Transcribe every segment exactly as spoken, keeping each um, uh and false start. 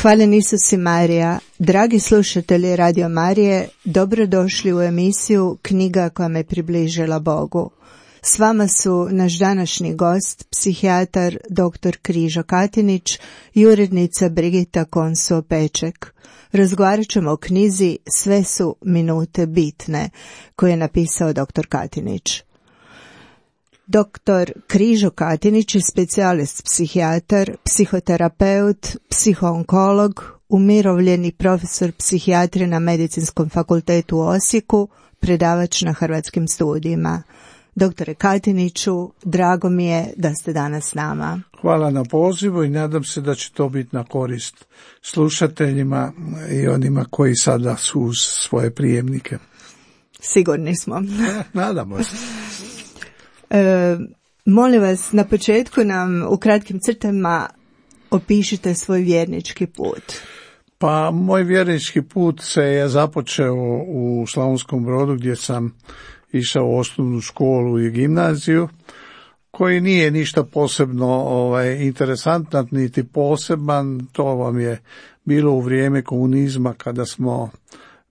Hvaljen Isus i Marija, dragi slušatelji Radio Marije, dobrodošli u emisiju Knjiga koja me približila Bogu. S vama su naš današnji gost, psihijatar doktor Križo Katinić i urednica Brigita Konso-Peček. Razgovarat ćemo o knjizi Sve su minute bitne, koju je napisao doktor Katinić. Doktor Križo Katinić je specijalist psihijatar, psihoterapeut, psihoonkolog, umirovljeni profesor psihijatrije na Medicinskom fakultetu u Osijeku, predavač na Hrvatskim studijima. Doktore Katiniću, drago mi je da ste danas s nama. Hvala na pozivu i nadam se da će to biti na korist slušateljima i onima koji sada su uz svoje prijemnike. Sigurni smo. Nadamo se. E, molim vas, na početku nam u kratkim crtama opišite svoj vjernički put. Pa moj vjernički put se je započeo u Slavonskom Brodu gdje sam išao u osnovnu školu i gimnaziju, koji nije ništa posebno ovaj, interesantan niti poseban. To vam je bilo u vrijeme komunizma kada smo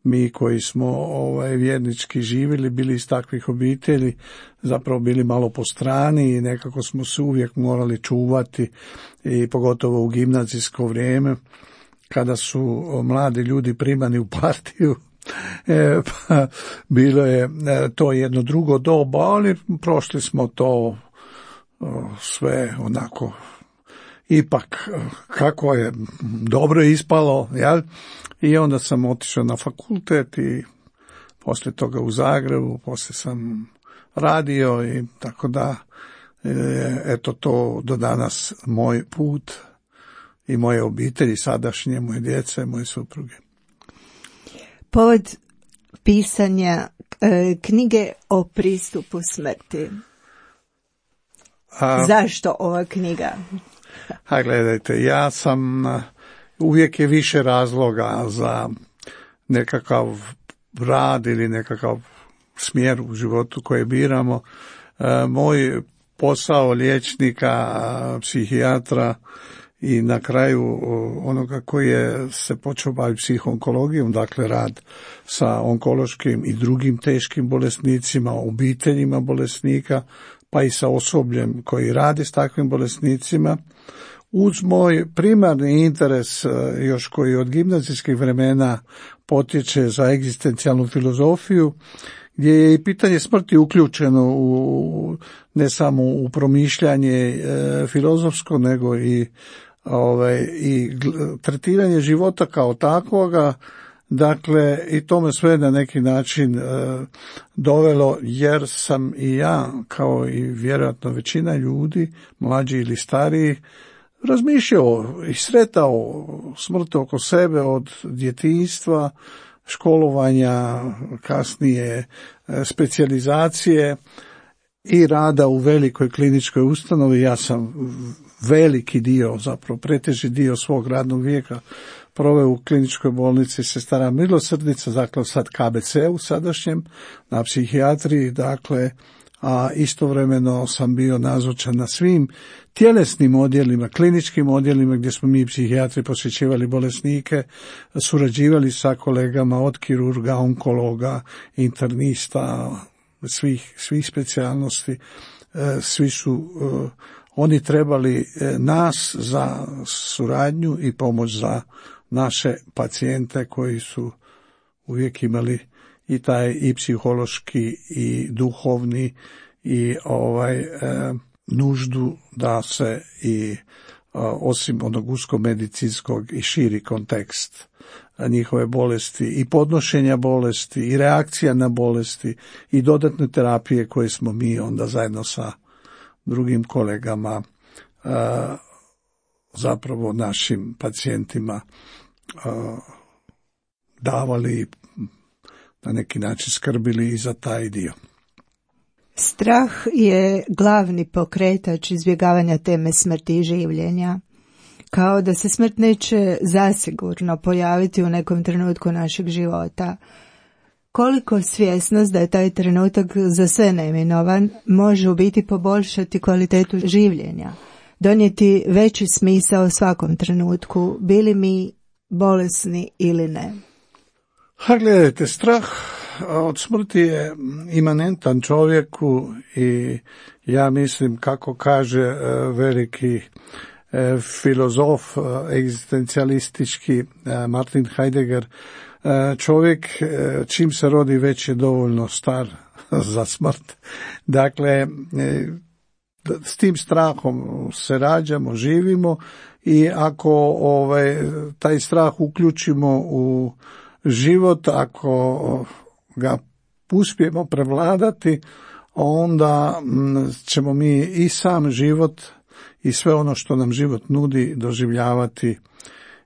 mi koji smo ovaj, vjernički živjeli, bili iz takvih obitelji, zapravo bili malo po strani i nekako smo se uvijek morali čuvati, i pogotovo u gimnazijsko vrijeme kada su mladi ljudi primani u partiju. E, pa, bilo je e, to jedno drugo doba, ali prošli smo to o, sve onako ipak kako je dobro ispalo, jel? I onda sam otišao na fakultet i poslije toga u Zagrebu, poslije sam radio i tako da, e, eto to do danas moj put i moje obitelji, sadašnje, moje djece, moje supruge. Povod pisanja e, knjige o pristupu smrti. A, Zašto ova knjiga? A gledajte, ja sam, uvijek je više razloga za nekakav rad ili nekakav smjer u životu koje biramo. E, moj posao liječnika, psihijatra i na kraju onoga koji je se počeo baviti psihoonkologijom, dakle rad sa onkološkim i drugim teškim bolesnicima, obiteljima bolesnika, pa i sa osobljem koji radi s takvim bolesnicima, uz moj primarni interes, još koji od gimnazijskih vremena potječe za egzistencijalnu filozofiju, gdje je i pitanje smrti uključeno u, ne samo u promišljanje e, filozofsko, nego i, ovaj, i tretiranje života kao takvoga. Dakle, i to me sve na neki način e, dovelo, jer sam i ja, kao i vjerojatno većina ljudi, mlađi ili stariji, razmišljao i sretao smrt oko sebe od djetinjstva, školovanja, kasnije specijalizacije i rada u velikoj kliničkoj ustanovi. Ja sam veliki dio, zapravo preteži dio svog radnog vijeka proveo u kliničkoj bolnici Sestara Milosrdnica, dakle sad K B C-u sadašnjem, na psihijatriji, dakle, a istovremeno sam bio nazočan na svim tjelesnim odjelima, kliničkim odjelima gdje smo mi psihijatri posjećivali bolesnike, surađivali sa kolegama od kirurga, onkologa, internista, svih, svih specijalnosti. Svi su oni trebali nas za suradnju i pomoć za naše pacijente koji su uvijek imali i taj i psihološki i duhovni i ovaj e, nuždu da se i e, osim onog usko medicinskog i širi kontekst njihove bolesti i podnošenja bolesti i reakcija na bolesti i dodatne terapije koje smo mi onda zajedno sa drugim kolegama e, zapravo našim pacijentima e, davali, na neki način skrbili i za taj dio. Strah je glavni pokretač izbjegavanja teme smrti i življenja. Kao da se smrt neće zasigurno pojaviti u nekom trenutku našeg života. Koliko svjesnost da je taj trenutak za sve neminovan može u biti poboljšati kvalitetu življenja, donijeti veći smisao svakom trenutku, bili mi bolesni ili ne. Ha, gledajte, strah od smrti je imanentan čovjeku i ja mislim, kako kaže veliki filozof egzistencijalistički Martin Heidegger, čovjek čim se rodi već je dovoljno star za smrt. Dakle, s tim strahom se rađamo, živimo i ako ovaj, taj strah uključimo u život, ako ga uspijemo prevladati, onda ćemo mi i sam život i sve ono što nam život nudi doživljavati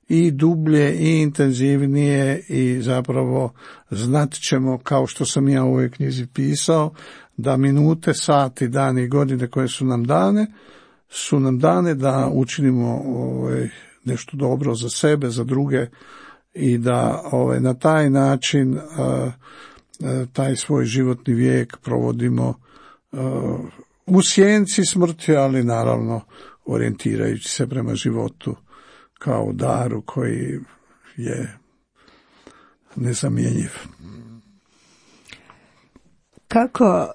i dublje i intenzivnije i zapravo znat ćemo, kao što sam ja u ovoj knjizi pisao, da minute, sati, dani i godine koje su nam dane, su nam dane da učinimo ovaj, nešto dobro za sebe, za druge i da ovaj, na taj način a, a, taj svoj životni vijek provodimo a, u sjenci smrti, ali naravno orijentirajući se prema životu kao daru koji je nezamjenjiv. Kako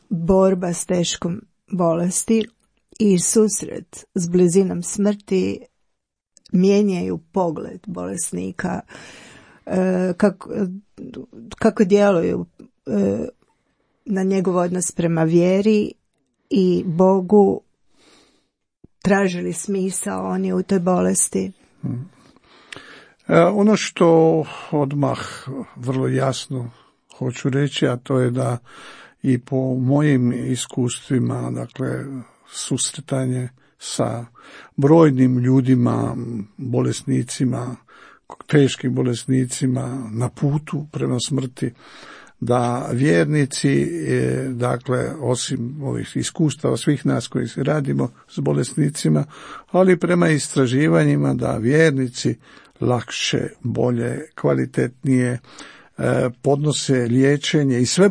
borba s teškom bolesti i susret s blizinom smrti mijenjaju pogled bolesnika, kako, kako djeluju na njegov odnos prema vjeri i Bogu, tražili smisao oni u toj bolesti? Hmm. E, ono što odmah vrlo jasno hoću reći, a to je da i po mojim iskustvima, dakle, susretanje sa brojnim ljudima, bolesnicima, teškim bolesnicima na putu prema smrti, da vjernici, dakle, osim ovih iskustava svih nas koji radimo s bolesnicima, ali prema istraživanjima da vjernici lakše, bolje, kvalitetnije podnose liječenje i sve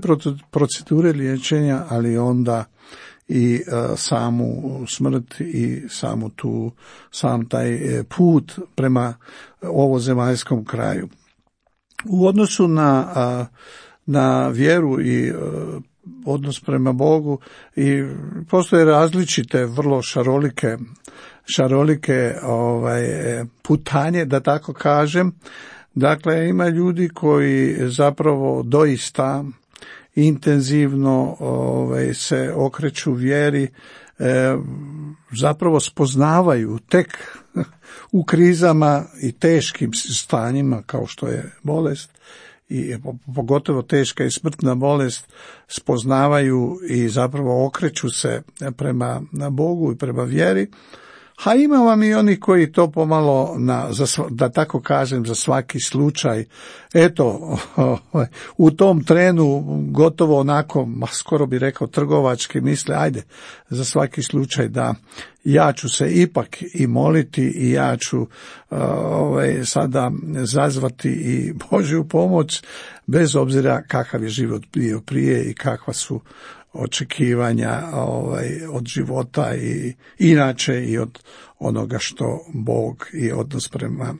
procedure liječenja, ali onda i samu smrt i samu tu, sam taj put prema ovozemaljskom kraju. U odnosu na na vjeru i odnos prema Bogu i postoje različite, vrlo šarolike, šarolike ovaj, putanje, da tako kažem. Dakle, ima ljudi koji zapravo doista intenzivno ovaj, se okreću vjeri, e, zapravo spoznavaju tek u krizama i teškim stanjima kao što je bolest, i pogotovo teška i smrtna bolest, spoznavaju i zapravo okreću se prema Bogu i prema vjeri. A ima vam i oni koji to pomalo, na, za, da tako kažem, za svaki slučaj, eto, u tom trenu gotovo onako, skoro bi rekao trgovački, misle, ajde, za svaki slučaj da ja ću se ipak i moliti i ja ću ovaj, sada zazvati i Božju pomoć, bez obzira kakav je život bio prije i kakva su očekivanja ovaj, od života i inače i od onoga što Bog i odnos prema,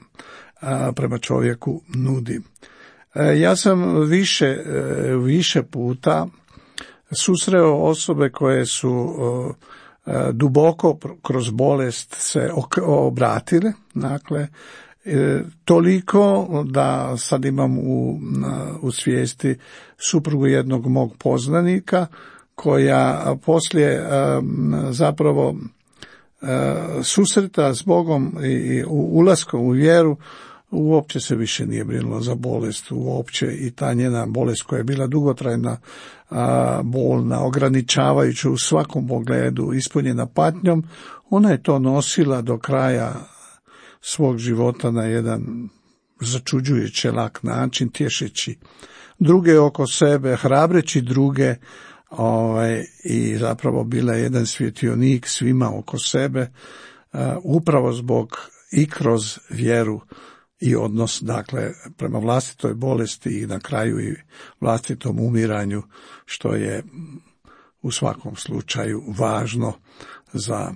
a, prema čovjeku nudi. E, ja sam više, e, više puta susreo osobe koje su e, duboko kroz bolest se obratile, dakle, E, toliko da sad imam u, u svijesti suprugu jednog mog poznanika koja poslije zapravo susreta s Bogom i ulaskom u vjeru uopće se više nije brinula za bolest, uopće i ta njena bolest koja je bila dugotrajna, bolna, ograničavajuća u svakom pogledu, ispunjena patnjom, ona je to nosila do kraja svog života na jedan začuđujuće lak način, tješeći druge oko sebe, hrabreći druge, ovaj, i zapravo bila je jedan svjetionik svima oko sebe, uh, upravo zbog i kroz vjeru i odnos, dakle, prema vlastitoj bolesti i na kraju i vlastitom umiranju, što je u svakom slučaju važno za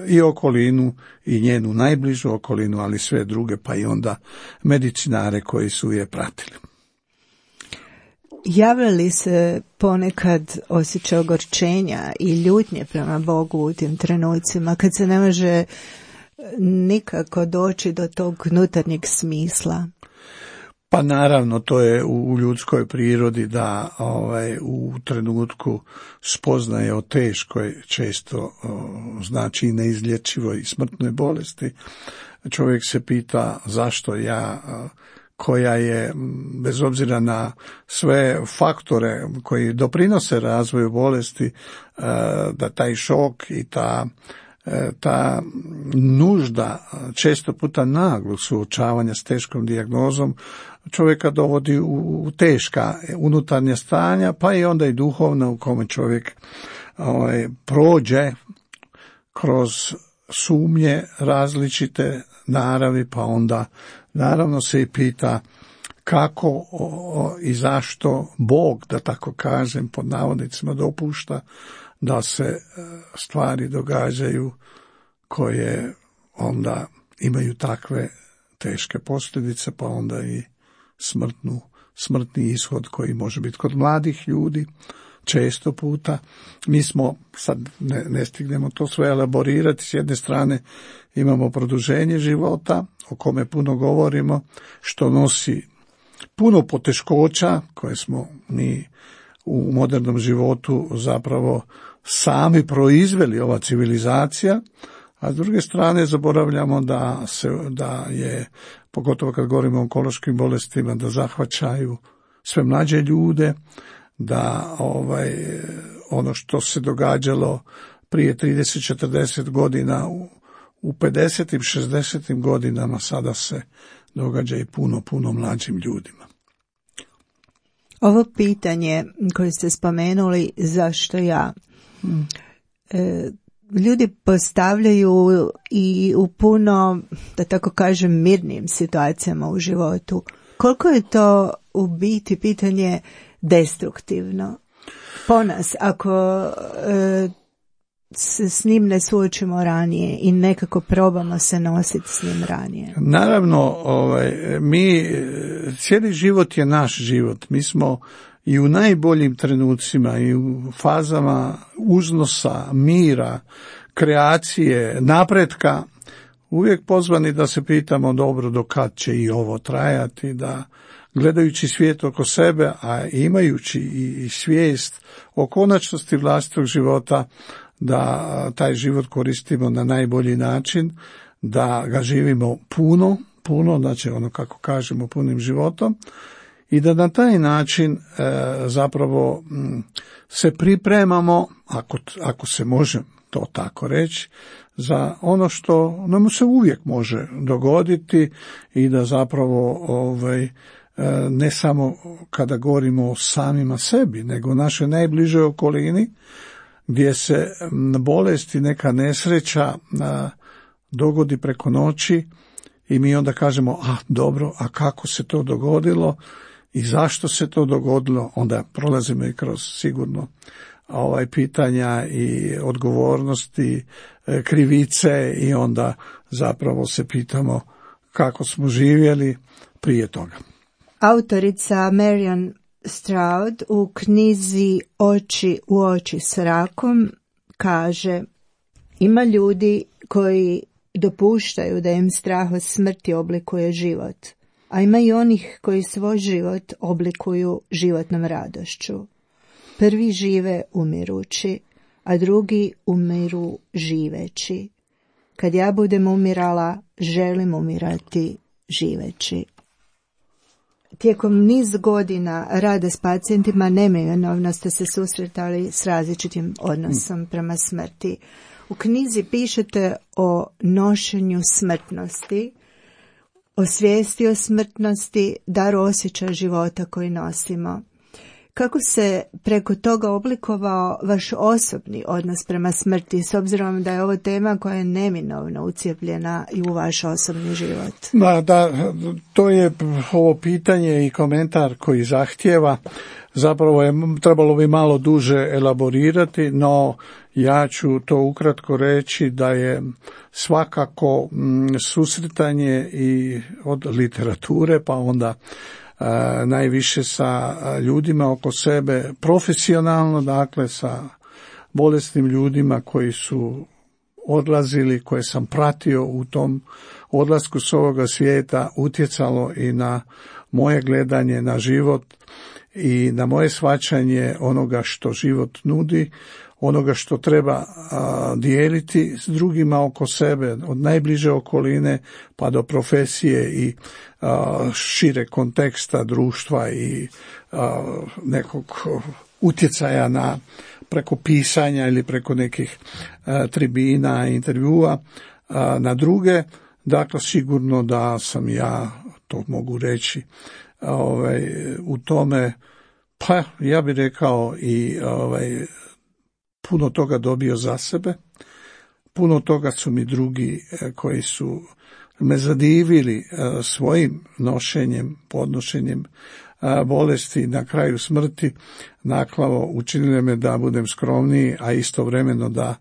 i okolinu i njenu najbližu okolinu, ali sve druge, pa i onda medicinare koji su je pratili. Javlja li se ponekad osjećaj ogorčenja i ljutnje prema Bogu u tim trenucima, kad se ne može nikako doći do tog unutarnjeg smisla? Pa naravno, to je u ljudskoj prirodi da ovaj, u trenutku spoznaje o teškoj, često o, znači i neizlječivoj i smrtnoj bolesti, čovjek se pita zašto ja, koja je, bez obzira na sve faktore koji doprinose razvoju bolesti, da taj šok i ta ta nužda često puta naglog suočavanja s teškom dijagnozom čovjeka dovodi u teška unutarnja stanja, pa i onda i duhovna, u kome čovjek ovaj, prođe kroz sumnje različite naravi, pa onda naravno se i pita kako o, i zašto Bog, da tako kažem, pod navodnicima dopušta da se stvari događaju koje onda imaju takve teške posljedice, pa onda i smrtnu, smrtni ishod koji može biti kod mladih ljudi često puta. Mi smo, sad ne, ne stignemo to sve elaborirati, s jedne strane imamo produženje života, o kome puno govorimo, što nosi puno poteškoća koje smo mi u modernom životu zapravo sami proizveli, ova civilizacija, a s druge strane zaboravljamo da se, da je, pogotovo kad govorimo o onkološkim bolestima, da zahvaćaju sve mlađe ljude, da ovaj, ono što se događalo prije trideset četrdeset godina u, u pedesetim šezdesetim godinama sada se događa i puno, puno mlađim ljudima. Ovo pitanje koje ste spomenuli, zašto ja? Hmm. E, ljudi postavljaju i u puno, da tako kažem, mirnim situacijama u životu. Koliko je to u biti pitanje destruktivno po nas, ako e, se s njim ne suočimo ranije i nekako probamo se nositi s njim ranije? Naravno, ovaj, mi, cijeli život je naš život. Mi smo i u najboljim trenucima i u fazama uznosa, mira, kreacije, napretka, uvijek pozvani da se pitamo dobro do kad će i ovo trajati, da gledajući svijet oko sebe, a imajući i svijest o konačnosti vlastitog života, da taj život koristimo na najbolji način, da ga živimo puno, puno, znači ono kako kažemo punim životom, i da na taj način e, zapravo m, se pripremamo, ako, ako se može to tako reći, za ono što nam se uvijek može dogoditi i da zapravo ovaj, ne samo kada govorimo o samima sebi, nego našoj najbližoj okolini, gdje se bolest i neka nesreća dogodi preko noći i mi onda kažemo, a dobro, a kako se to dogodilo i zašto se to dogodilo, onda prolazimo i kroz sigurno ovaj pitanja i odgovornosti, krivice, i onda zapravo se pitamo kako smo živjeli prije toga. Autorica Marian Stroud u knjizi Oči u oči s rakom kaže: ima ljudi koji dopuštaju da im strah od smrti oblikuje život, a ima i onih koji svoj život oblikuju životnom radošću. Prvi žive umirući, a drugi umiru živeći. Kad ja budem umirala, želim umirati živeći. Tijekom niz godina rada s pacijentima neminovno ste se susretali s različitim odnosom prema smrti. U knjizi pišete o nošenju smrtnosti, o svijesti o smrtnosti, dar osjećaja života koji nosimo. Kako se preko toga oblikovao vaš osobni odnos prema smrti, s obzirom da je ovo tema koja je neminovno ucijepljena i u vaš osobni život? Da, da, to je ovo pitanje i komentar koji zahtijeva. Zapravo je trebalo bi malo duže elaborirati, no ja ću to ukratko reći da je svakako susretanje i od literature pa onda najviše sa ljudima oko sebe, profesionalno, dakle sa bolesnim ljudima koji su odlazili, koje sam pratio u tom odlasku s ovoga svijeta, utjecalo i na moje gledanje na život i na moje shvaćanje onoga što život nudi, onoga što treba a, dijeliti s drugima oko sebe, od najbliže okoline pa do profesije i a, šire konteksta društva i a, nekog utjecaja na preko pisanja ili preko nekih a, tribina, intervjua a, na druge. Dakle, sigurno da sam ja, to mogu reći, ovaj, u tome, pa ja bih rekao i ovaj, puno toga dobio za sebe, puno toga su mi drugi koji su me zadivili svojim nošenjem, podnošenjem bolesti na kraju smrti, naklavo učinile me da budem skromniji, a istovremeno da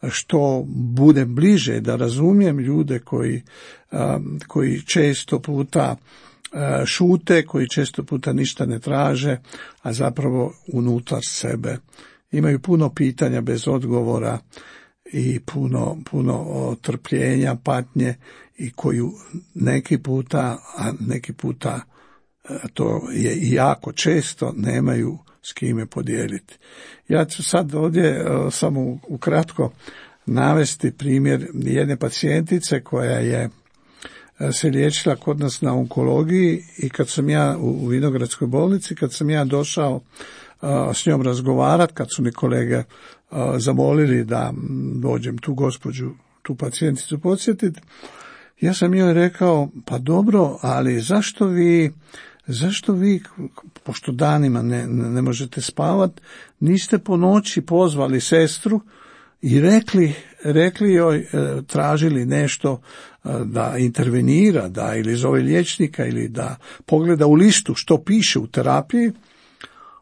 što budem bliže, da razumijem ljude koji, koji često puta šute, koji često puta ništa ne traže, a zapravo unutar sebe imaju puno pitanja bez odgovora i puno, puno trpljenja, patnje i koju neki puta, a neki puta to je i jako često, nemaju s kime podijeliti. Ja ću sad ovdje samo ukratko navesti primjer jedne pacijentice koja je se liječila kod nas na onkologiji i kad sam ja u Vinogradskoj bolnici, kad sam ja došao s njom razgovarati, kad su mi kolege zamolili da dođem tu gospođu, tu pacijenticu podsjetiti, ja sam joj rekao, pa dobro, ali zašto vi, zašto vi, pošto danima ne, ne možete spavati, niste po noći pozvali sestru i rekli, rekli joj, tražili nešto da intervenira, da ili zove liječnika ili da pogleda u listu što piše u terapiji.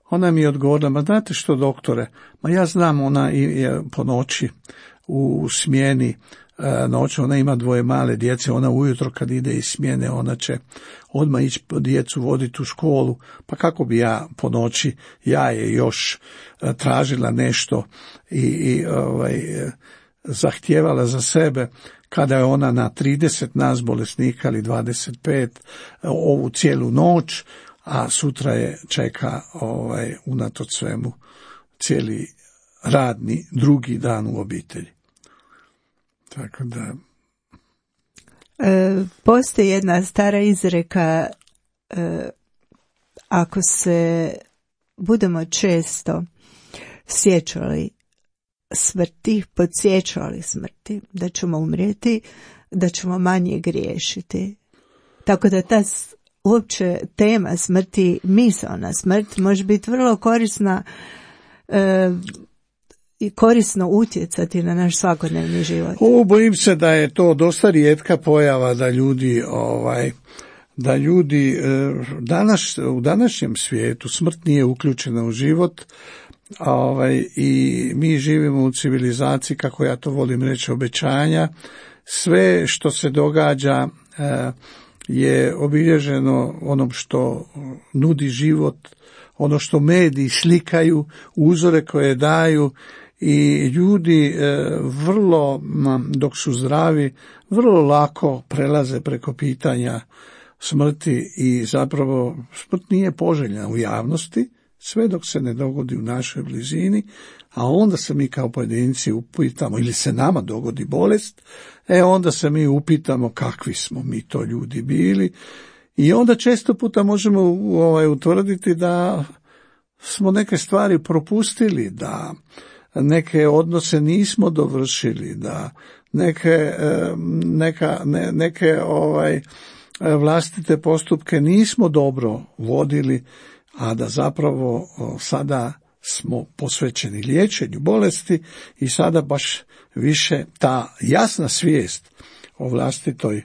Ona mi je odgovorila, ma znate što doktore, ma ja znam, ona je po noći u smjeni noć, ona ima dvoje male djece, ona ujutro kad ide iz smjene, ona će odmah ići djecu voditi u školu, pa kako bi ja po noći, ja je još tražila nešto i, i ovaj, zahtijevala za sebe, kada je ona na trideset nas bolesnika ili dvadeset pet ovu cijelu noć, a sutra je čeka ovaj, unatoč svemu cijeli radni drugi dan u obitelji. Tako da... E, postoji jedna stara izreka, e, ako se budemo često sjećali smrti, podsjećali smrti, da ćemo umrijeti, da ćemo manje griješiti. Tako da ta uopće tema smrti, misaona smrt može biti vrlo korisna e, i korisno utjecati na naš svakodnevni život. O, bojim se da je to dosta rijetka pojava da ljudi ovaj da ljudi danas, u današnjem svijetu smrt nije uključena u život, ovaj, i mi živimo u civilizaciji, kako ja to volim reći, obećanja. Sve što se događa eh, je obilježeno onom što nudi život, ono što mediji slikaju, uzore koje daju, i ljudi eh, vrlo, dok su zdravi, vrlo lako prelaze preko pitanja smrti i zapravo smrt nije poželjna u javnosti, sve dok se ne dogodi u našoj blizini, a onda se mi kao pojedinci upitamo, ili se nama dogodi bolest, e onda se mi upitamo kakvi smo mi to ljudi bili, i onda često puta možemo ovaj, utvrditi da smo neke stvari propustili, da neke odnose nismo dovršili, da neke, neka, ne, neke ovaj, vlastite postupke nismo dobro vodili, a da zapravo sada smo posvećeni liječenju bolesti i sada baš više ta jasna svijest o vlastitoj e,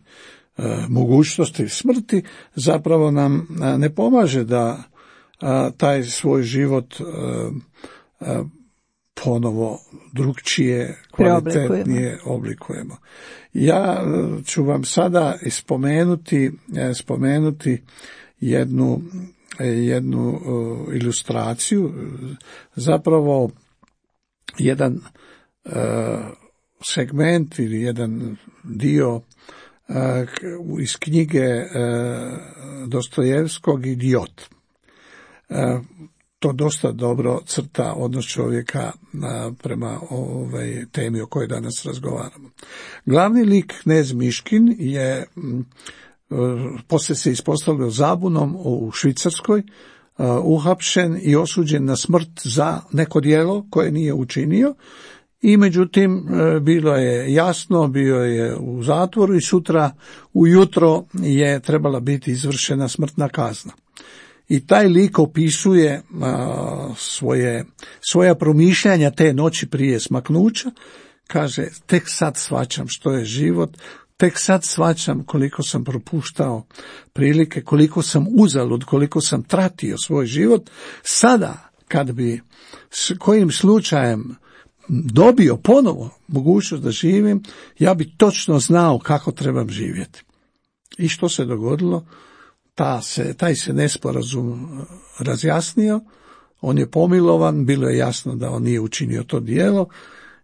mogućnosti smrti zapravo nam a, ne pomaže da a, taj svoj život a, a, ponovo drugčije, kvalitetnije oblikujemo. Ja ću vam sada spomenuti, spomenuti jednu, jednu uh, ilustraciju, zapravo jedan uh, segment ili jedan dio uh, iz knjige uh, Dostojevskog Idiot. Uh, To dosta dobro crta odnos čovjeka prema ovoj temi o kojoj danas razgovaramo. Glavni lik knez Miškin je poslije se ispostavio zabunom u Švicarskoj, uhapšen i osuđen na smrt za neko djelo koje nije učinio i međutim bilo je jasno, bio je u zatvoru i sutra ujutro je trebala biti izvršena smrtna kazna. I taj lik opisuje a, svoje, svoja promišljanja te noći prije smaknuća, kaže, tek sad shvaćam što je život, tek sad shvaćam koliko sam propuštao prilike, koliko sam uzalud, koliko sam tratio svoj život. Sada, kad bi s kojim slučajem dobio ponovo mogućnost da živim, ja bi točno znao kako trebam živjeti. I što se dogodilo? Ta se, taj se nesporazum razjasnio, on je pomilovan, bilo je jasno da on nije učinio to djelo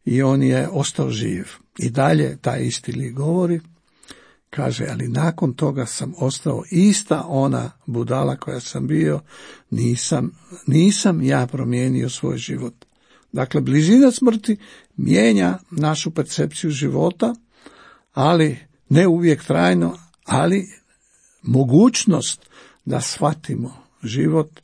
i on je ostao živ. I dalje taj isti lik govori, kaže, ali nakon toga sam ostao ista ona budala koja sam bio, nisam, nisam ja promijenio svoj život. Dakle, blizina smrti mijenja našu percepciju života, ali ne uvijek trajno, ali mogućnost da shvatimo život,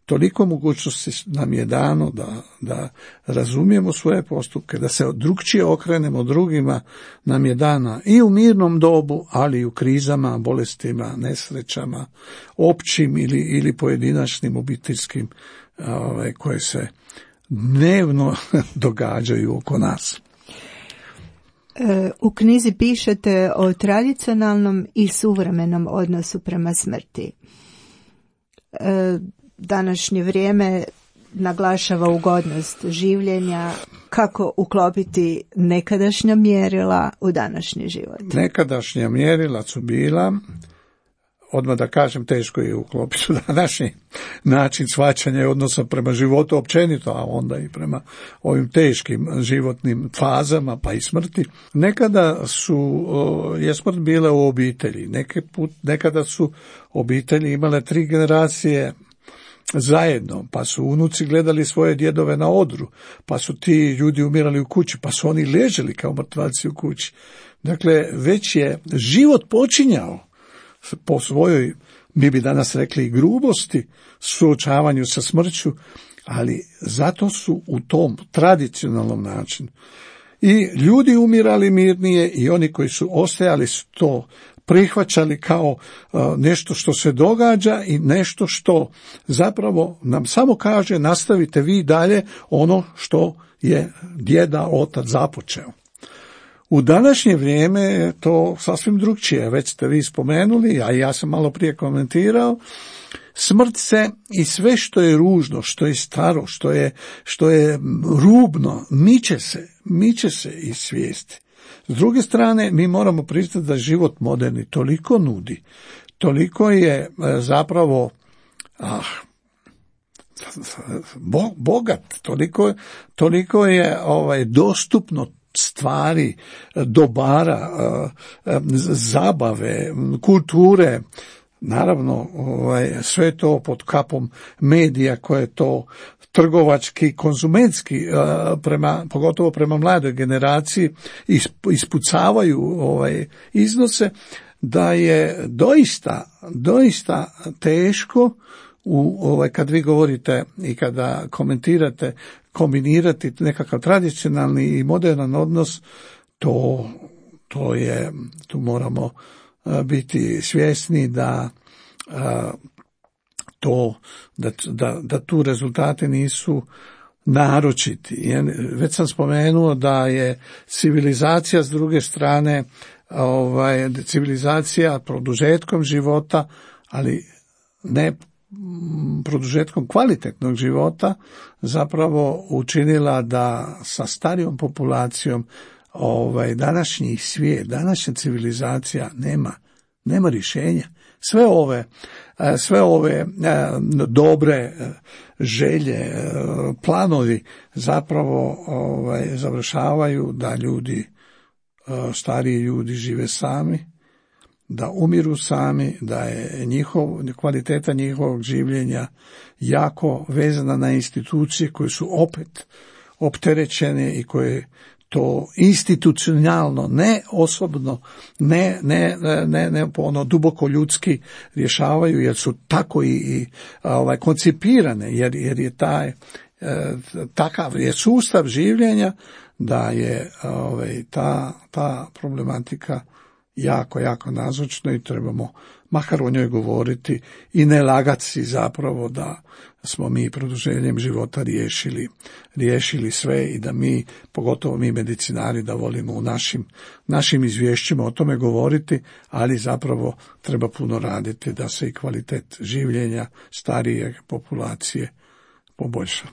toliko mogućnosti nam je dano da, da razumijemo svoje postupke, da se drugčije okrenemo drugima, nam je dana i u mirnom dobu, ali i u krizama, bolestima, nesrećama, općim ili, ili pojedinačnim obiteljskim ove, koje se dnevno događaju oko nas. U knjizi pišete o tradicionalnom i suvremenom odnosu prema smrti. Današnje vrijeme naglašava ugodnost življenja, kako uklopiti nekadašnja mjerila u današnji život. Nekadašnja mjerila su bila, odmah da kažem, teško je uklopiti u današnji način shvaćanja i odnosa prema životu općenito, a onda i prema ovim teškim životnim fazama, pa i smrti. Nekada su, je smrt bila u obitelji, Neke put, nekada su obitelji imale tri generacije zajedno, pa su unuci gledali svoje djedove na odru, pa su ti ljudi umirali u kući, pa su oni leželi kao mrtvaci u kući. Dakle, već je život počinjao po svojoj, mi bi danas rekli, grubosti, suočavanju sa smrću, ali zato su u tom tradicionalnom načinu i ljudi umirali mirnije i oni koji su ostajali su to prihvaćali kao uh, nešto što se događa i nešto što zapravo nam samo kaže nastavite vi dalje ono što je djeda, otac započeo. U današnje vrijeme je to sasvim drugčije, već ste vi spomenuli, a ja sam malo prije komentirao, smrt se i sve što je ružno, što je staro, što je, što je rubno, miče se, miče se iz svijesti. S druge strane, mi moramo priznati da život moderni toliko nudi, toliko je zapravo ah, bogat, toliko, toliko je ovaj, dostupno stvari, dobara, zabave, kulture, naravno ovaj, sve to pod kapom medija koje to trgovački, konzumentski, prema, pogotovo prema mladoj generaciji, ispucavaju ovaj, iznose, da je doista, doista teško u, ovaj, kad vi govorite i kada komentirate, kombinirati nekakav tradicionalni i modernan odnos, to, to je, tu moramo biti svjesni da to, da, da, da tu rezultati nisu naročiti. Već sam spomenuo da je civilizacija s druge strane, ovaj, civilizacija produžetkom života, ali ne produžetkom kvalitetnog života, zapravo učinila da sa starijom populacijom ovaj, današnji svijet, današnja civilizacija nema, nema rješenja. Sve ove, sve ove dobre želje, planovi zapravo ovaj, završavaju da ljudi, stariji ljudi žive sami, da umiru sami, da je njihov, kvaliteta njihovog življenja jako vezana na institucije koje su opet opterećene i koje to institucionalno, ne osobno, ne, ne, ne, ne ono duboko ljudski rješavaju, jer su tako i, i ovaj, koncipirane, jer, jer je taj, takav je sustav življenja da je ovaj, ta, ta problematika jako, jako nazočna i trebamo makar o njoj govoriti i ne lagati si zapravo da smo mi produženjem života riješili, riješili sve i da mi, pogotovo mi medicinari, da volimo u našim, našim izvješćima o tome govoriti, ali zapravo treba puno raditi da se i kvalitet življenja starije populacije poboljša.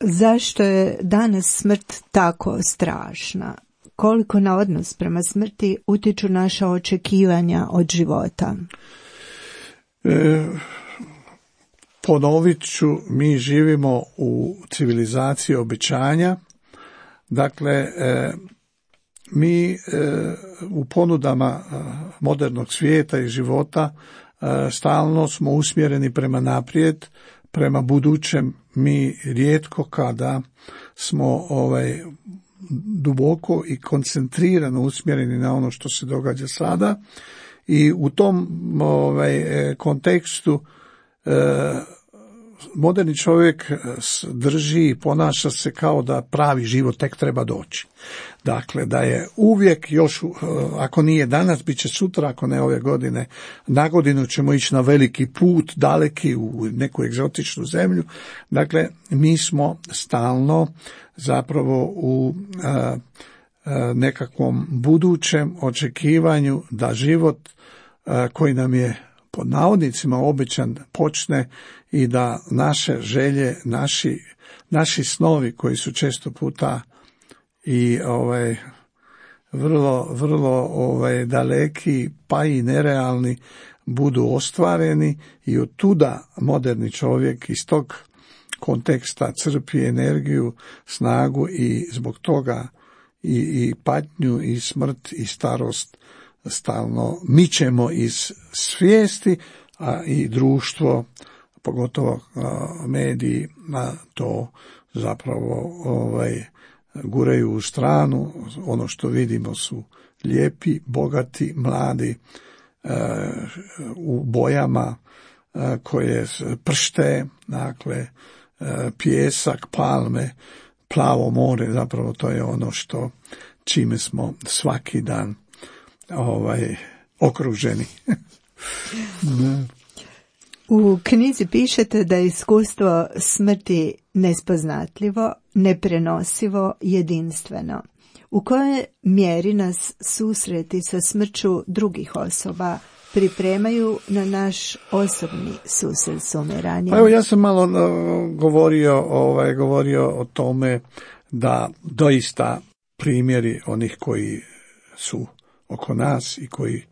Zašto je danas smrt tako strašna? Koliko na odnos prema smrti utječu naša očekivanja od života? E, ponovit ću, mi živimo u civilizaciji obećanja. Dakle, e, mi e, u ponudama modernog svijeta i života e, stalno smo usmjereni prema naprijed, prema budućem. Mi rijetko kada smo ovaj duboko i koncentrirano usmjereni na ono što se događa sada i u tom ovaj, kontekstu e, moderni čovjek drži i ponaša se kao da pravi život tek treba doći. Dakle, da je uvijek još, ako nije danas, bit će sutra, ako ne ove godine, na godinu ćemo ići na veliki put, daleki u neku egzotičnu zemlju. Dakle, mi smo stalno zapravo u a, a, nekakvom budućem očekivanju da život a, koji nam je pod navodnicima obećan počne i da naše želje, naši, naši snovi koji su često puta i ovaj vrlo, vrlo ovaj daleki pa i nerealni budu ostvareni i od tuda moderni čovjek iz tog konteksta crpi energiju, snagu i zbog toga i, i patnju i smrt i starost stalno mičemo iz svijesti, a i društvo, pogotovo a, mediji, a, to zapravo ovaj, guraju u stranu. Ono što vidimo su lijepi, bogati, mladi, a, u bojama a, koje pršte, dakle, a, pijesak, palme, plavo more, zapravo to je ono što čime smo svaki dan ovaj okruženi. U knjizi pišete da je iskustvo smrti nespoznatljivo, neprenosivo, jedinstveno. U kojoj mjeri nas susreti sa smrću drugih osoba pripremaju na naš osobni susret s umiranjem? Pa evo, ja sam malo uh, govorio, ovaj, govorio o tome da doista primjeri onih koji su oko nas i koji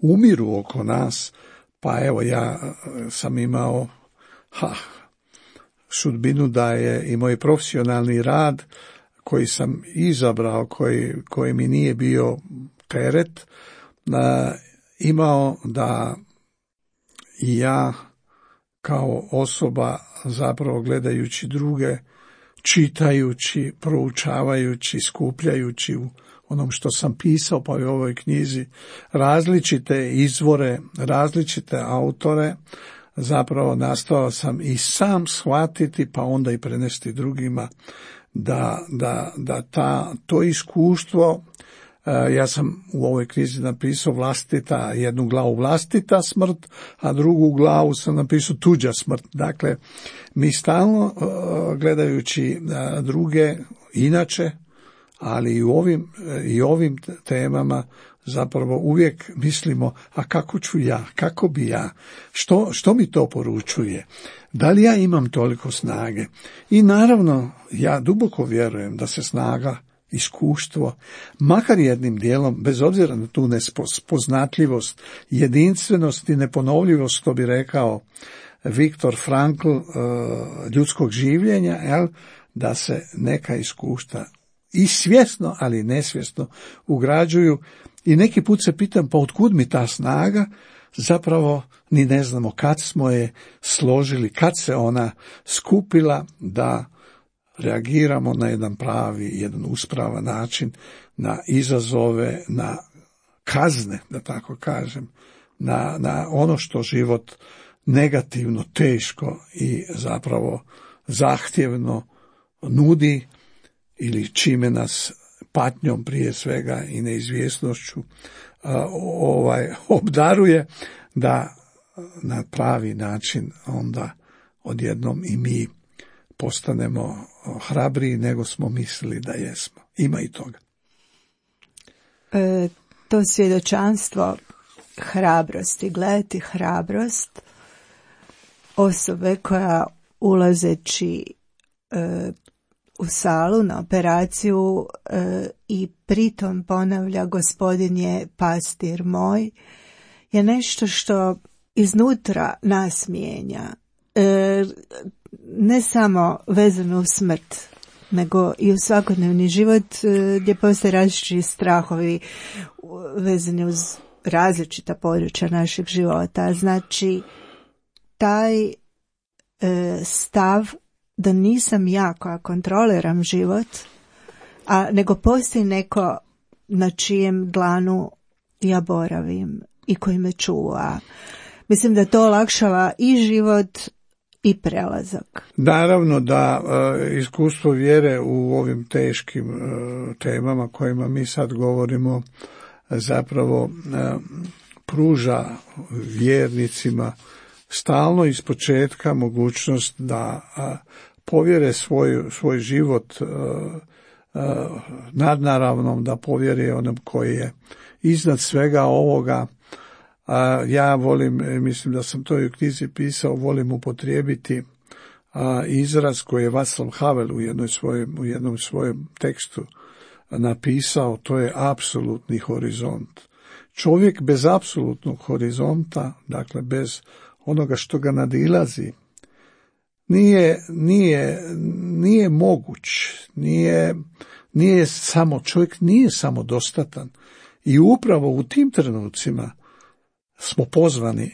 umiru oko nas, pa evo ja sam imao ha, sudbinu da je i moj profesionalni rad koji sam izabrao, koji, koji mi nije bio teret, da, imao da i ja kao osoba zapravo gledajući druge, čitajući, proučavajući, skupljajući u onom što sam pisao pa i u ovoj knjizi, različite izvore, različite autore, zapravo nastao sam i sam shvatiti pa onda i prenesti drugima da, da, da ta, to iskustvo Ja sam u ovoj knjizi napisao vlastita, jednu glavu vlastita smrt, a drugu glavu sam napisao tuđa smrt. Dakle, mi stalno gledajući druge inače, ali i u ovim, i ovim temama zapravo uvijek mislimo, a kako ću ja, kako bi ja, što, što mi to poručuje, da li ja imam toliko snage. I naravno, ja duboko vjerujem da se snaga, iskustvo, makar jednim dijelom, bez obzira na tu nespoznatljivost, jedinstvenost i neponovljivost, što bi rekao Viktor Frankl, ljudskog življenja, jel, da se neka iskustva i svjesno, ali nesvjesno ugrađuju. I neki put se pitam, pa otkud mi ta snaga? Zapravo ni ne znamo kad smo je složili, kad se ona skupila da reagiramo na jedan pravi, jedan uspravan način, na izazove, na kazne, da tako kažem, na, na ono što život negativno, teško i zapravo zahtjevno nudi ili čime nas patnjom prije svega i neizvjesnošću ovaj, obdaruje, da na pravi način onda odjednom i mi postanemo hrabriji nego smo mislili da jesmo. Ima i toga. E, to svjedočanstvo hrabrosti, gledati hrabrost osobe koja ulazeći e, u salu na operaciju e, i pritom ponavlja Gospodin je pastir moj, je nešto što iznutra nas mijenja. E, ne samo vezano u smrt, nego i u svakodnevni život e, gdje postoje različiti strahovi vezani uz različita područja našeg života. Znači, taj e, stav da nisam ja koja kontroliram život, a nego postoji neko na čijem dlanu ja boravim i koji me čuva. Mislim da to olakšava i život i prelazak. Naravno da e, iskustvo vjere u ovim teškim e, temama kojima mi sad govorimo zapravo e, pruža vjernicima stalno iz početka mogućnost da a, povjere svoj, svoj život a, a, nadnaravnom, da povjere onom koji je iznad svega ovoga. A, ja volim, mislim da sam to i u knjizi pisao, volim upotrijebiti a, izraz koji je Václav Havel u, jednoj svojem, u jednom svojem tekstu napisao, to je apsolutni horizont. Čovjek bez apsolutnog horizonta, dakle bez onoga što ga nadilazi, nije, nije, nije moguć, nije, nije samo, čovjek nije samodostatan. I upravo u tim trenucima smo pozvani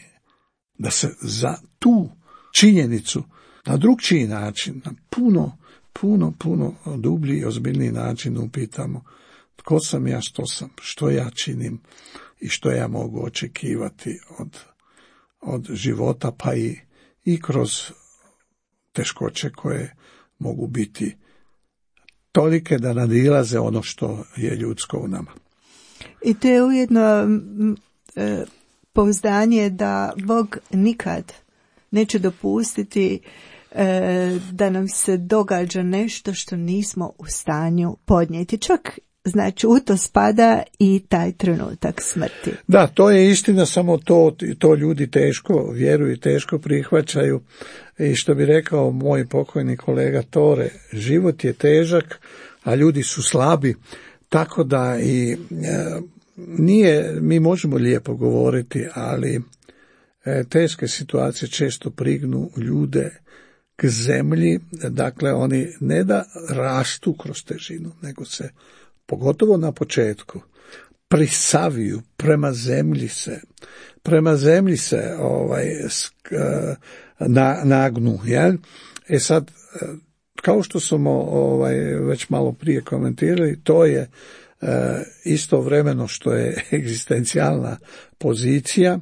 da se za tu činjenicu na drugčiji način, na puno, puno, puno dublji i ozbiljniji način upitamo tko sam ja, što sam, što ja činim i što ja mogu očekivati od od života, pa i, i kroz teškoće koje mogu biti tolike da nadilaze ono što je ljudsko u nama. I to je ujedno e, pouzdanje da Bog nikad neće dopustiti e, da nam se događa nešto što nismo u stanju podnijeti. Čak znači u to spada i taj trenutak smrti. Da, to je istina, samo to, to ljudi teško vjeruju i teško prihvaćaju. I što bi rekao moj pokojni kolega Tore, život je težak, a ljudi su slabi, tako da i e, nije, mi možemo lijepo govoriti, ali e, teške situacije često prignu ljude k zemlji, dakle oni ne da rastu kroz težinu, nego se pogotovo na početku prisaviju, prema zemlji se, prema zemlji se ovaj, na, nagnu. Jel? E sad, kao što smo ovaj, već malo prije komentirali, to je e, istovremeno što je egzistencijalna pozicija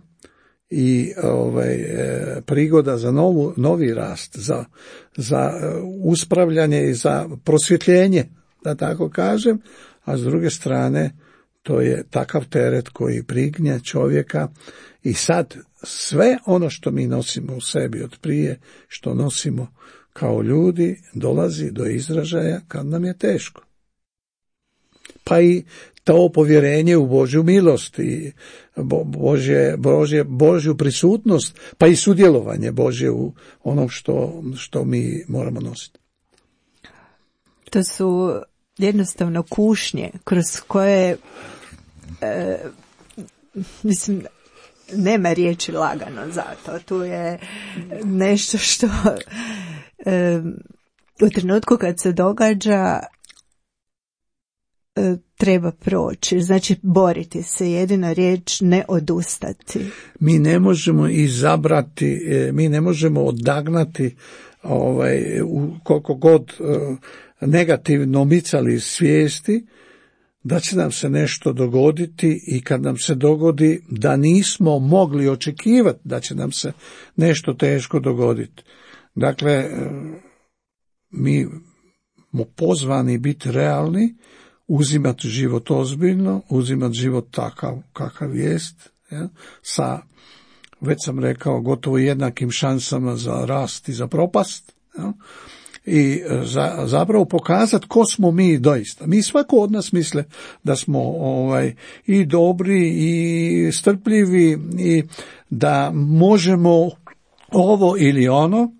i ovaj, e, prigoda za novu, novi rast, za, za uspravljanje i za prosvjetljenje, da tako kažem, a s druge strane to je takav teret koji prignje čovjeka i sad sve ono što mi nosimo u sebi od prije, što nosimo kao ljudi, dolazi do izražaja kad nam je teško. Pa i to povjerenje u Božju milost i Božje, Božje, Božju prisutnost, pa i sudjelovanje Božje u onom što, što mi moramo nositi. To su jednostavno kušnje kroz koje e, mislim, nema riječi lagano za to. Tu je nešto što e, u trenutku kad se događa e, treba proći. Znači boriti se, jedina riječ ne odustati. Mi ne možemo izabrati, mi ne možemo odagnati ovaj, u koliko god e, negativno micali iz svijesti da će nam se nešto dogoditi i kad nam se dogodi da nismo mogli očekivati da će nam se nešto teško dogoditi. Dakle, mi smo pozvani biti realni, uzimati život ozbiljno, uzimati život takav kakav jest, ja, sa, već sam rekao, gotovo jednakim šansama za rast i za propast, ja, i za, zapravo pokazati ko smo mi doista. Mi svako od nas misle da smo ovaj, i dobri i strpljivi i da možemo ovo ili ono,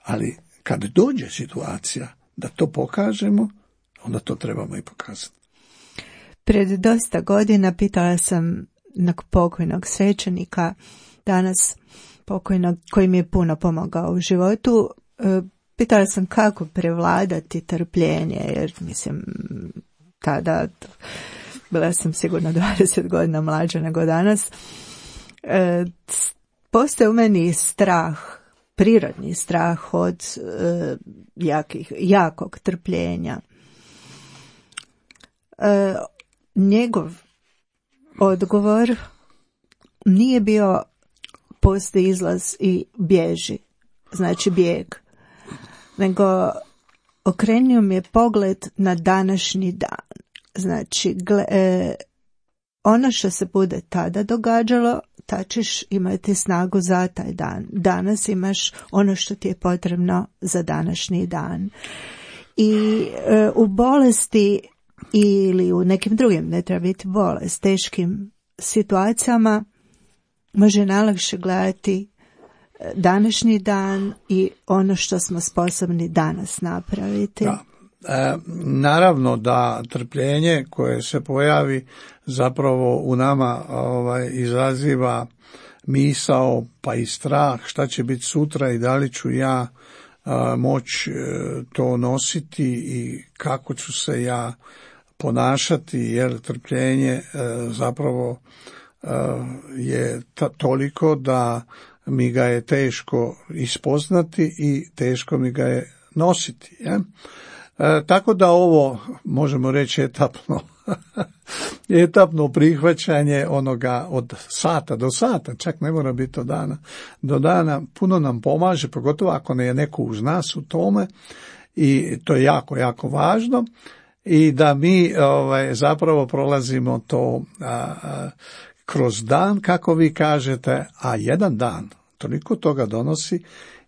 ali kad dođe situacija da to pokažemo, onda to trebamo i pokazati. Pred dosta godina pitala sam jednog pokojnog svećenika, danas pokojnog, koji mi je puno pomogao u životu, pitala sam kako prevladati trpljenje, jer mislim, tada bila sam sigurno dvadeset godina mlađa nego danas. E, postoje u meni strah, prirodni strah od e, jakih, jakog trpljenja. E, njegov odgovor nije bio postoji izlaz i bježi, znači bijeg, nego okrenio mi je pogled na današnji dan. Znači, gle, e, ono što se bude tada događalo, ta ćeš imati snagu za taj dan. Danas imaš ono što ti je potrebno za današnji dan. I e, u bolesti ili u nekim drugim, ne treba biti bolest, teškim situacijama može najlakše gledati današnji dan i ono što smo sposobni danas napraviti. Da. E, naravno da trpljenje koje se pojavi zapravo u nama ovaj, izaziva misao pa i strah šta će biti sutra i da li ću ja a, moći to nositi i kako ću se ja ponašati, jer trpljenje a, zapravo a, je ta, toliko da mi ga je teško ispoznati i teško mi ga je nositi. Ja? E, tako da ovo možemo reći etapno, etapno prihvaćanje onoga od sata do sata, čak ne mora biti od dana do dana, puno nam pomaže, pogotovo ako ne je neko uz nas u tome i to je jako, jako važno i da mi ovaj, zapravo prolazimo to a, a, kroz dan, kako vi kažete, a jedan dan toliko toga donosi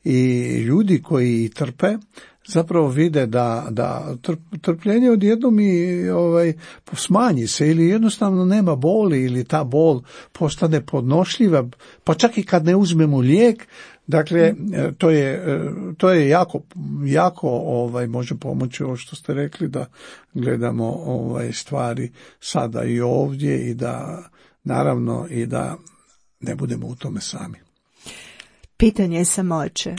i ljudi koji trpe zapravo vide da, da trpljenje odjednom i ovaj, smanji se ili jednostavno nema boli ili ta bol postane podnošljiva, pa čak i kad ne uzmemo lijek, dakle to je, to je jako, jako ovaj, može pomoći ovo što ste rekli da gledamo ovaj, stvari sada i ovdje i da naravno i da ne budemo u tome sami. Pitanje je samoće.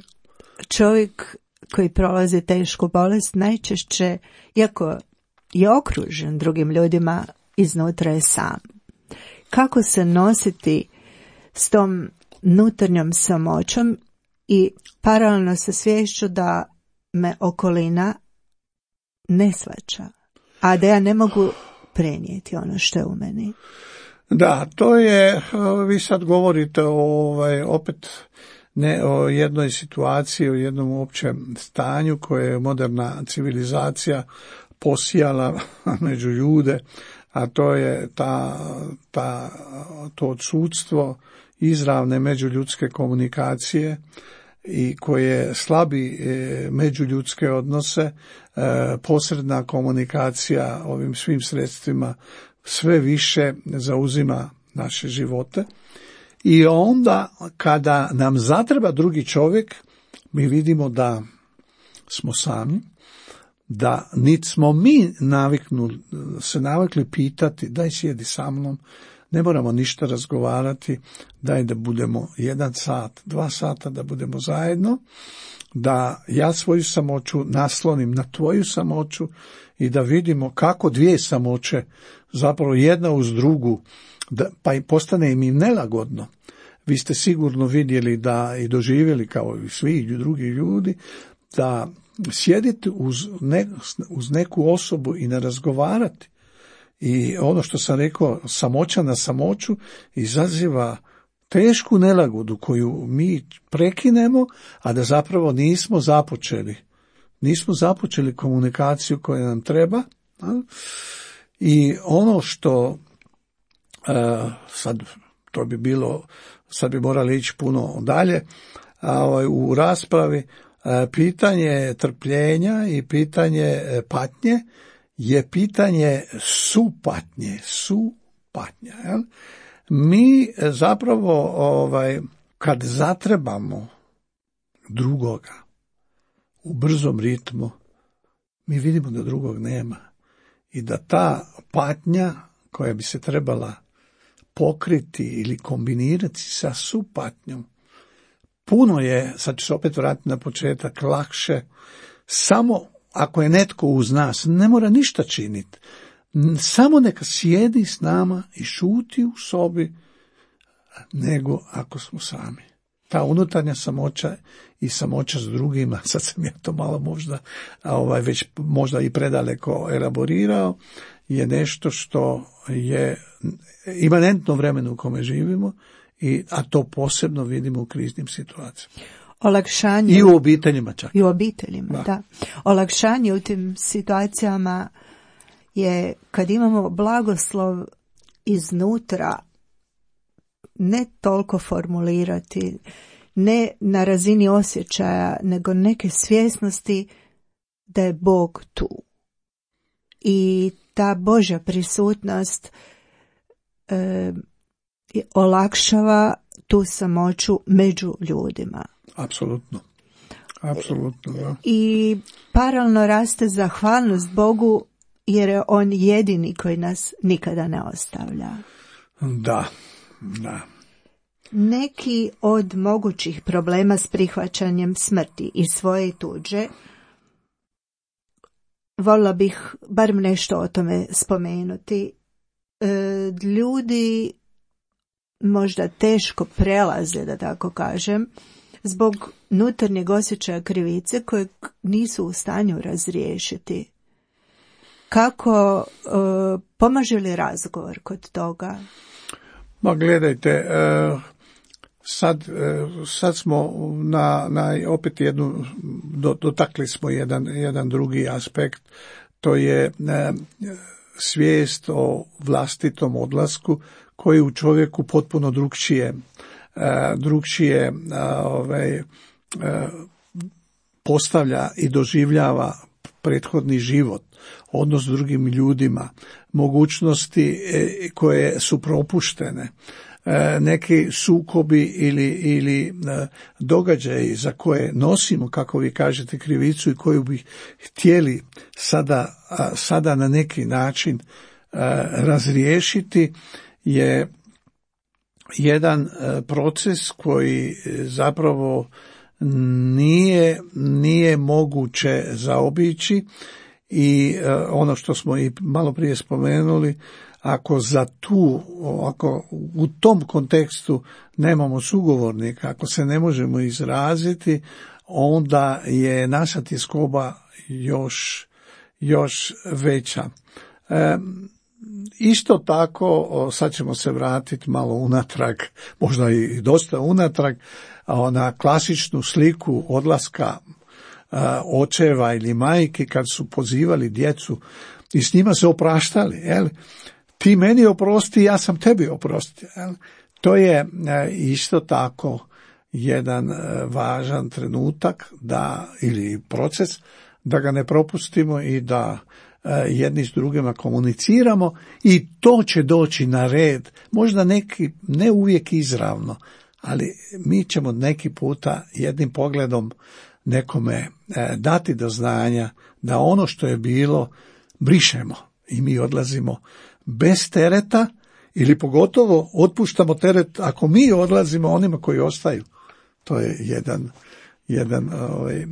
Čovjek koji prolazi tešku bolest najčešće, iako je okružen drugim ljudima, iznutra je sam. Kako se nositi s tom unutarnjom samoćom i paralelno sa sviješću da me okolina ne shvaća, a da ja ne mogu prenijeti ono što je u meni? Da, to je, vi sad govorite o, ovaj, opet ne o jednoj situaciji, o jednom općem stanju koje je moderna civilizacija posijala među ljude, a to je ta, ta, to odsudstvo izravne međuljudske komunikacije i koje slabi međuljudske odnose, posredna komunikacija ovim svim sredstvima sve više zauzima naše živote. I onda kada nam zatreba drugi čovjek, mi vidimo da smo sami, da niti smo mi naviknuli, se navikli pitati, daj sjedi sa mnom, ne moramo ništa razgovarati, daj da budemo jedan sat, dva sata da budemo zajedno, da ja svoju samoću naslonim na tvoju samoću i da vidimo kako dvije samoće, zapravo jedna uz drugu, da, pa i postane im nelagodno. Vi ste sigurno vidjeli da i doživjeli kao i svi drugi ljudi, da sjediti uz, ne, uz neku osobu i ne razgovarati. I ono što sam rekao, samoća na samoću izaziva tešku nelagodu koju mi prekinemo, a da zapravo nismo započeli. Nismo započeli komunikaciju koja nam treba. I ono što sad to bi bilo, sad bi morali ići puno dalje u raspravi, pitanje trpljenja i pitanje patnje je pitanje supatnje, supatnja. Jel? Mi zapravo ovaj, kad zatrebamo drugoga u brzom ritmu, mi vidimo da drugog nema i da ta patnja koja bi se trebala pokriti ili kombinirati sa supatnjom, puno je, sad ću se opet vratiti na početak, lakše samo ako je netko uz nas, ne mora ništa činiti, samo neka sjedi s nama i šuti u sobi, nego ako smo sami. Ta unutarnja samoća i samoća s drugima, sad sam ja to malo možda, ovaj, već možda i predaleko elaborirao, je nešto što je imanentno vremenu u kome živimo, i, a to posebno vidimo u kriznim situacijama. Olakšanje. I u obiteljima čak. I u obiteljima, da. da. Olakšanje u tim situacijama je kad imamo blagoslov iznutra, ne toliko formulirati, ne na razini osjećaja, nego neke svjesnosti da je Bog tu. I ta Božja prisutnost e, olakšava tu samoću među ljudima. Apsolutno. Apsolutno, da. I paralelno raste zahvalnost Bogu jer je on jedini koji nas nikada ne ostavlja. Da, da. Neki od mogućih problema s prihvaćanjem smrti i svoje i tuđe, voljela bih barem nešto o tome spomenuti. E, ljudi možda teško prelaze, da tako kažem, zbog unutarnjeg osjećaja krivice kojeg nisu u stanju razriješiti. Kako, e, pomaže li razgovor kod toga? Ma gledajte, e, sad, e, sad smo na, na opet jednu, do, dotakli smo jedan, jedan drugi aspekt, to je e, svijest o vlastitom odlasku koji u čovjeku potpuno drukčije, e, drukčije e, ovaj, e, postavlja i doživljava prethodni život, odnos s drugim ljudima, mogućnosti e, koje su propuštene, e, neki sukobi ili, ili e, događaji za koje nosimo, kako vi kažete, krivicu i koju bi htjeli sada, a, sada na neki način e, razriješiti, je jedan e, proces koji zapravo nije, nije moguće zaobići i e, ono što smo i malo prije spomenuli, ako za tu, ako u tom kontekstu nemamo sugovornika, ako se ne možemo izraziti, onda je naša tjeskoba još, još veća. E, Isto tako, sad ćemo se vratiti malo unatrag, možda i dosta unatrag, na klasičnu sliku odlaska očeva ili majke kad su pozivali djecu i s njima se opraštali. Jel? ti meni oprosti, ja sam tebi oprostio. To je isto tako jedan važan trenutak da, ili proces, da ga ne propustimo i da jedni s drugima komuniciramo i to će doći na red, možda neki, ne uvijek izravno, ali mi ćemo neki puta jednim pogledom nekome dati do znanja da ono što je bilo brišemo i mi odlazimo bez tereta ili pogotovo otpuštamo teret ako mi odlazimo onima koji ostaju. To je jedan, jedan ovaj,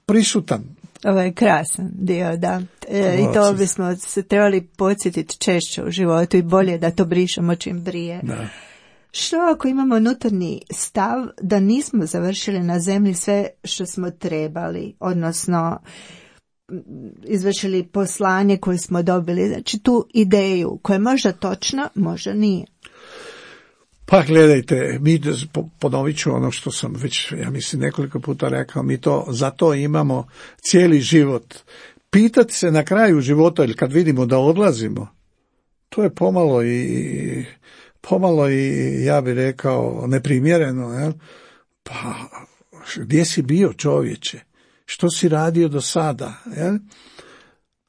prisutan. Ovo je krasan dio, da. E, I to bismo se trebali podsjetiti češće u životu i bolje da to brišemo čim prije. Da. Što ako imamo unutarnji stav da nismo završili na zemlji sve što smo trebali, odnosno izvršili poslanje koje smo dobili, znači tu ideju koja je možda točna, možda nije. Pa gledajte, mi, ponovit ću ono što sam već, ja mislim, nekoliko puta rekao, mi to, za to imamo cijeli život. Pitati se na kraju života ili kad vidimo da odlazimo, to je pomalo i, pomalo i, ja bih rekao, neprimjereno. Jel? Pa, gdje si bio, čovječe? Što si radio do sada? Jel?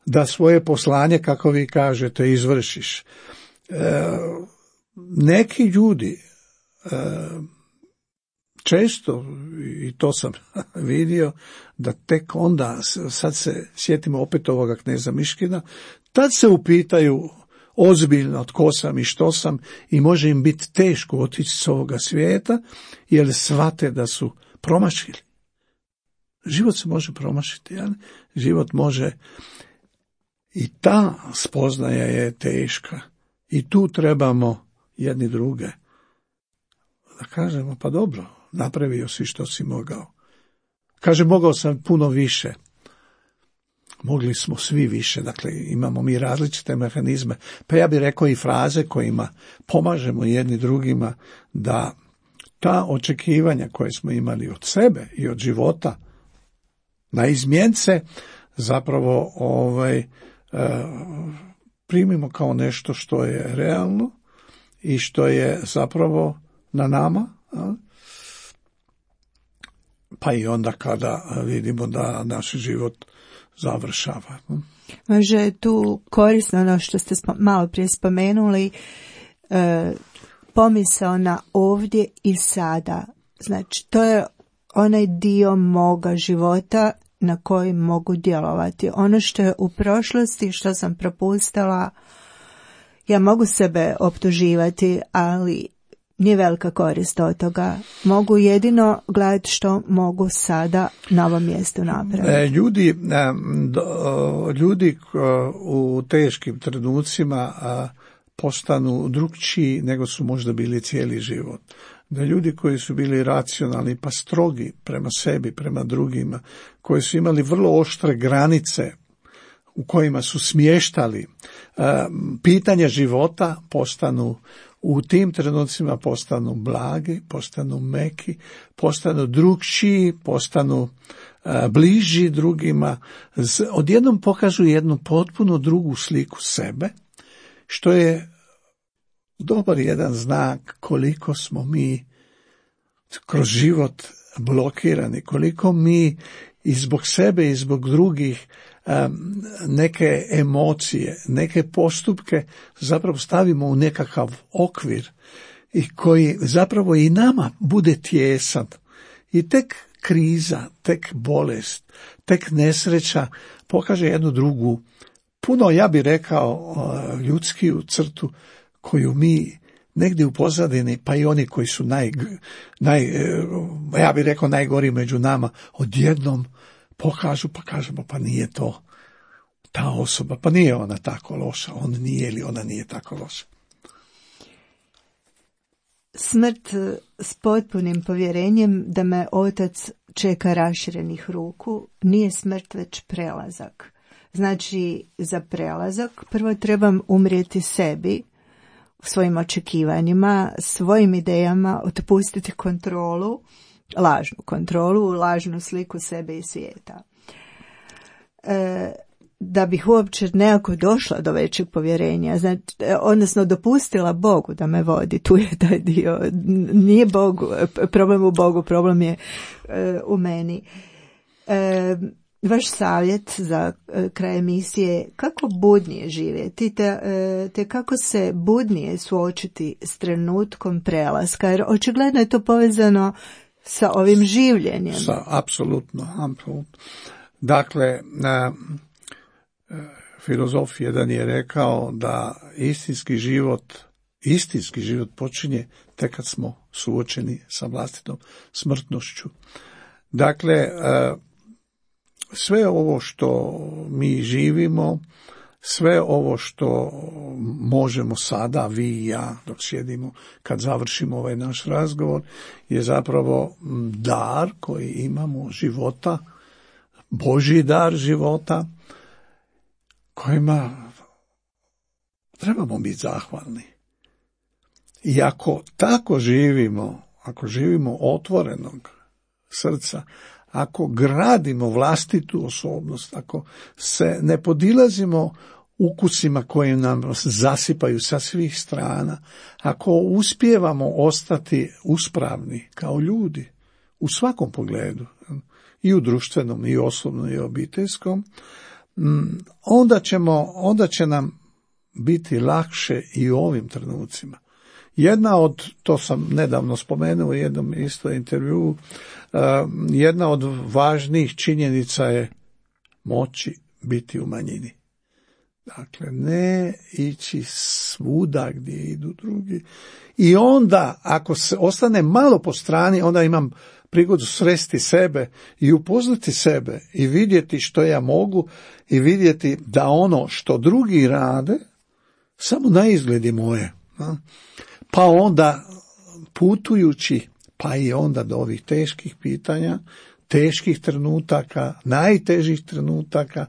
Da svoje poslanje, kako vi kažete, izvršiš. E, neki ljudi e, često, i to sam vidio, da tek onda, sad se sjetimo opet ovoga kneza Miškina, tad se upitaju ozbiljno tko sam i što sam i može im biti teško otići s ovoga svijeta, jer shvate da su promašili. Život se može promašiti, jel? Život može, i ta spoznaja je teška. I tu trebamo jedni druge da kažemo, pa dobro, napravio si što si mogao. Kaže, mogao sam puno više. Mogli smo svi više, dakle imamo mi različite mehanizme. Pa ja bih rekao i fraze kojima pomažemo jedni drugima da ta očekivanja koje smo imali od sebe i od života na izmjence zapravo ovaj, e, primimo kao nešto što je realno i što je zapravo na nama, a? Pa i onda kada vidimo da naš život završava. Može je tu korisno ono što ste malo prije spomenuli, e, pomisao na ovdje i sada. Znači, to je onaj dio moga života na koji mogu djelovati. Ono što je u prošlosti, što sam propustila, ja mogu sebe optuživati, ali nije velika korist od toga. Mogu jedino gledati što mogu sada na ovom mjestu napraviti. E, ljudi, ljudi u teškim trenucima postanu drukčiji nego su možda bili cijeli život. Da ljudi koji su bili racionalni pa strogi prema sebi, prema drugima, koji su imali vrlo oštre granice u kojima su smještali pitanja života, postanu u tim trenucima postanu blagi, postanu meki, postanu drukčiji, postanu bliži drugima, odjednom pokažu jednu potpuno drugu sliku sebe, što je dobar jedan znak koliko smo mi kroz život blokirani, koliko mi i zbog sebe i zbog drugih neke emocije, neke postupke zapravo stavimo u nekakav okvir i koji zapravo i nama bude tijesan. I tek kriza, tek bolest, tek nesreća pokaže jednu drugu, puno, ja bih rekao, ljudskiju crtu koju mi negdje u pozadini, pa i oni koji su naj, naj, ja bih rekao najgori među nama, odjednom pokažu, pa kažemo, pa nije to ta osoba, pa nije ona tako loša, on nije ili ona nije tako loša. Smrt s potpunim povjerenjem da me otac čeka raširenih ruku nije smrt već prelazak. Znači, za prelazak prvo trebam umrijeti sebi, svojim očekivanjima, svojim idejama, otpustiti kontrolu, lažnu kontrolu, lažnu sliku sebe i svijeta. E, da bih uopće nekako došla do većeg povjerenja, znači, odnosno dopustila Bogu da me vodi, tu je taj dio, nije Bogu, problem u Bogu, problem je e, u meni. E, vaš savjet za e, kraj emisije, kako budnije živjeti, te, e, te kako se budnije suočiti s trenutkom prelaska, jer očigledno je to povezano sa ovim življenjem. Sa, apsolutno, apsolutno. Dakle, na, filozof jedan je rekao da istinski život, istinski život počinje tek kad smo suočeni sa vlastitom smrtnošću. Dakle, sve ovo što mi živimo, sve ovo što možemo sada, vi i ja, dok sjedimo, kad završimo ovaj naš razgovor, je zapravo dar koji imamo života, Božji dar života, kojima trebamo biti zahvalni. I ako tako živimo, ako živimo otvorenog srca, ako gradimo vlastitu osobnost, ako se ne podilazimo ukusima koji nam zasipaju sa svih strana, ako uspijevamo ostati uspravni kao ljudi u svakom pogledu, i u društvenom, i osobnom, i obiteljskom, onda ćemo, onda će nam biti lakše i u ovim trenucima. Jedna od, to sam nedavno spomenuo u jednom isto intervjuu, jedna od važnijih činjenica je moći biti u manjini. Dakle, ne ići svuda gdje idu drugi. I onda, ako se ostane malo po strani, onda imam prigodu sresti sebe i upoznati sebe i vidjeti što ja mogu i vidjeti da ono što drugi rade samo na izgledi moje. Pa onda putujući, pa i onda do ovih teških pitanja, teških trenutaka, najtežih trenutaka,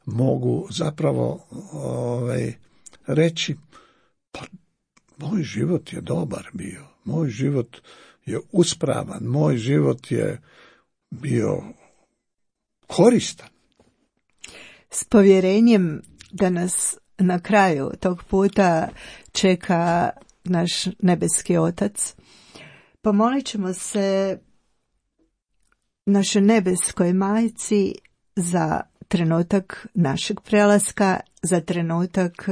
mogu zapravo ovaj, reći, pa moj život je dobar bio, moj život je uspravan, moj život je bio koristan. S povjerenjem da nas na kraju tog puta čeka naš nebeski Otac, pomolit ćemo se našoj nebeskoj majci za trenutak našeg prelaska, za trenutak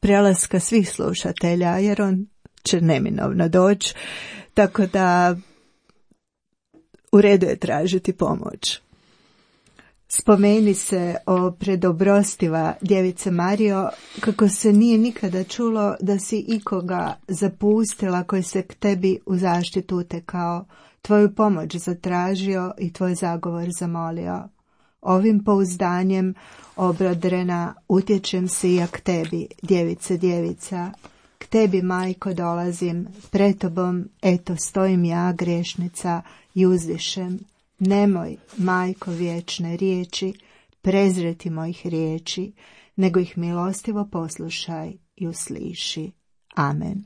prelaska svih slušatelja, jer on će neminovno doći, tako da u redu je tražiti pomoć. Spomeni se o predobrostiva Djevice Marijo, kako se nije nikada čulo da si ikoga zapustila koji se k tebi u zaštitu utekao, tvoju pomoć zatražio i tvoj zagovor zamolio. Ovim pouzdanjem, obrodrena, utječem se i ja k tebi, djevice djevica. K tebi, majko, dolazim, pred tobom, eto, stojim ja, grešnica, i uzdišem. Nemoj, majko vječne riječi, prezreti mojih riječi, nego ih milostivo poslušaj i usliši. Amen.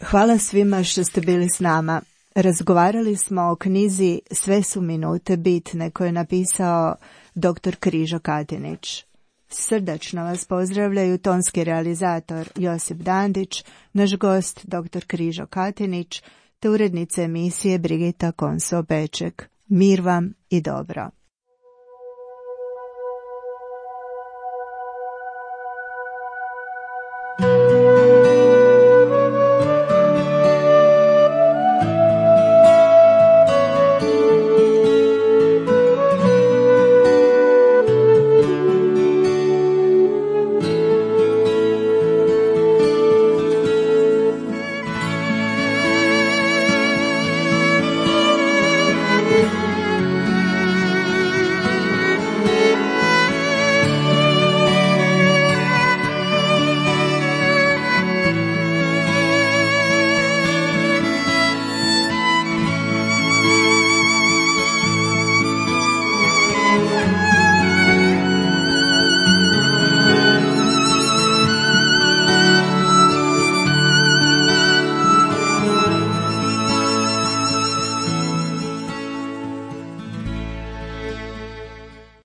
Hvala svima što ste bili s nama. Razgovarali smo o knjizi Sve su minute bitne, koju je napisao doktor Križo Katinić. Srdačno vas pozdravljaju tonski realizator Josip Dandić, naš gost doktor Križo Katinić, te urednica emisije Brigita Konso-Beček. Mir vam i dobro.